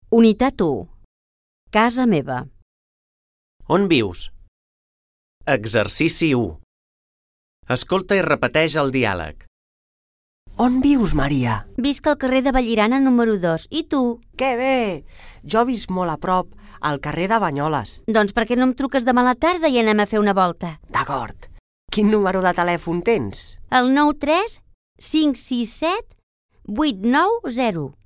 Unitat 1. Casa meva. On vius? Exercici 1. Escolta i repeteix el diàleg. On vius, Maria? Visc al carrer de Vallirana número 2. I tu? Que bé! Jo visc molt a prop, al carrer de Banyoles. Doncs per què no em truques demà a la tarda i anem a fer una volta? D'acord. Quin número de telèfon tens? El 93 567 890.